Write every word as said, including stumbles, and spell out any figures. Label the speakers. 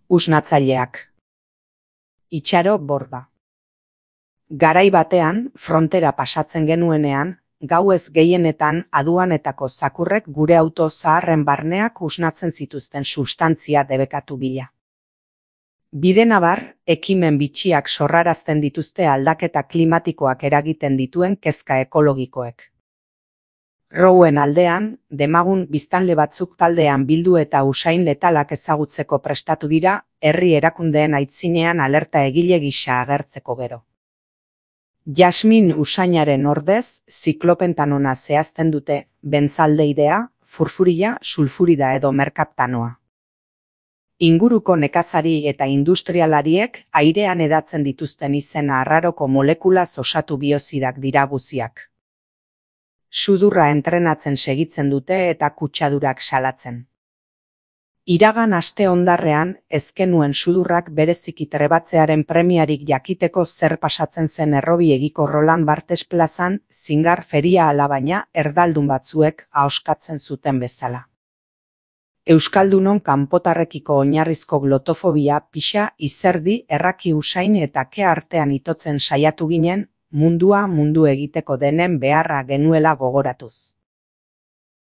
Speaker 1: Usnatzaileak. Itxaro borda. Garai batean, frontera pasatzen genuenean, gauez gehienetan aduanetako zakurrek gure auto zaharren barneak usnatzen zituzten substantzia debekatu bila. Bide nabar, ekimen bitxiak sorrarazten dituzte aldaketa klimatikoak eragiten dituen kezka ekologikoek. Rouen aldean, demagun biztanle batzuk taldean bildu eta usain letalak ezagutzeko prestatu dira, herri erakundeen aitzinean alerta egile gisa agertzeko gero. Jasmin usainaren ordez, ziklopentanona zehazten dute, bentzaldeidea, furfurila, sulfurida edo merkaptanoa. Inguruko nekazari eta industrialariek airean edatzen dituzten izena arraroko molekulaz osatu biozidak dira guziak. Sudurra entrenatzen segitzen dute eta kutsadurak salatzen. Iragan aste hondarrean, ezkenuen sudurrak bereziki trebatzearen premiarik jakiteko zer pasatzen zen errobiegiko Roland Barthes plazan, zingar feria alabaina erdaldun batzuek ahoskatzen zuten bezala. Euskaldunon kanpotarrekiko oinarrizko glotofobia pixa izerdi erraki usain eta ke artean itotzen saiatu ginen, mundua mundu egiteko denen beharra genuela gogoratuz.